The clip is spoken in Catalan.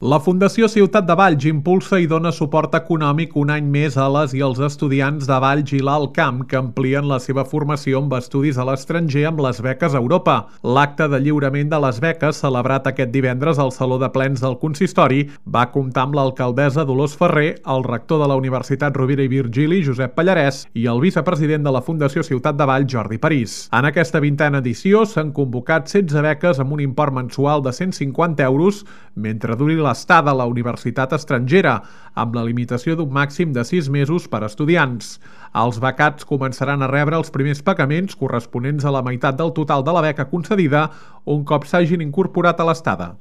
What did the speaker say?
La Fundació Ciutat de Valls impulsa i dona suport econòmic un any més a les i els estudiants de Valls i l'Alt Camp que amplien la seva formació amb estudis a l'estranger amb les beques a Europa. L'acte de lliurament de les beques, celebrat aquest divendres al Saló de Plens del Consistori, va comptar amb l'alcaldessa Dolors Ferrer, el rector de la Universitat Rovira i Virgili, Josep Pallarès, i el vicepresident de la Fundació Ciutat de Valls, Jordi París. En aquesta 20a edició s'han convocat 16 beques amb un import mensual de 150 euros, mentre duri l'estada a la universitat estrangera, amb la limitació d'un màxim de 6 mesos per a estudiants. Els becats començaran a rebre els primers pagaments corresponents a la meitat del total de la beca concedida un cop s'hagin incorporat a l'estada.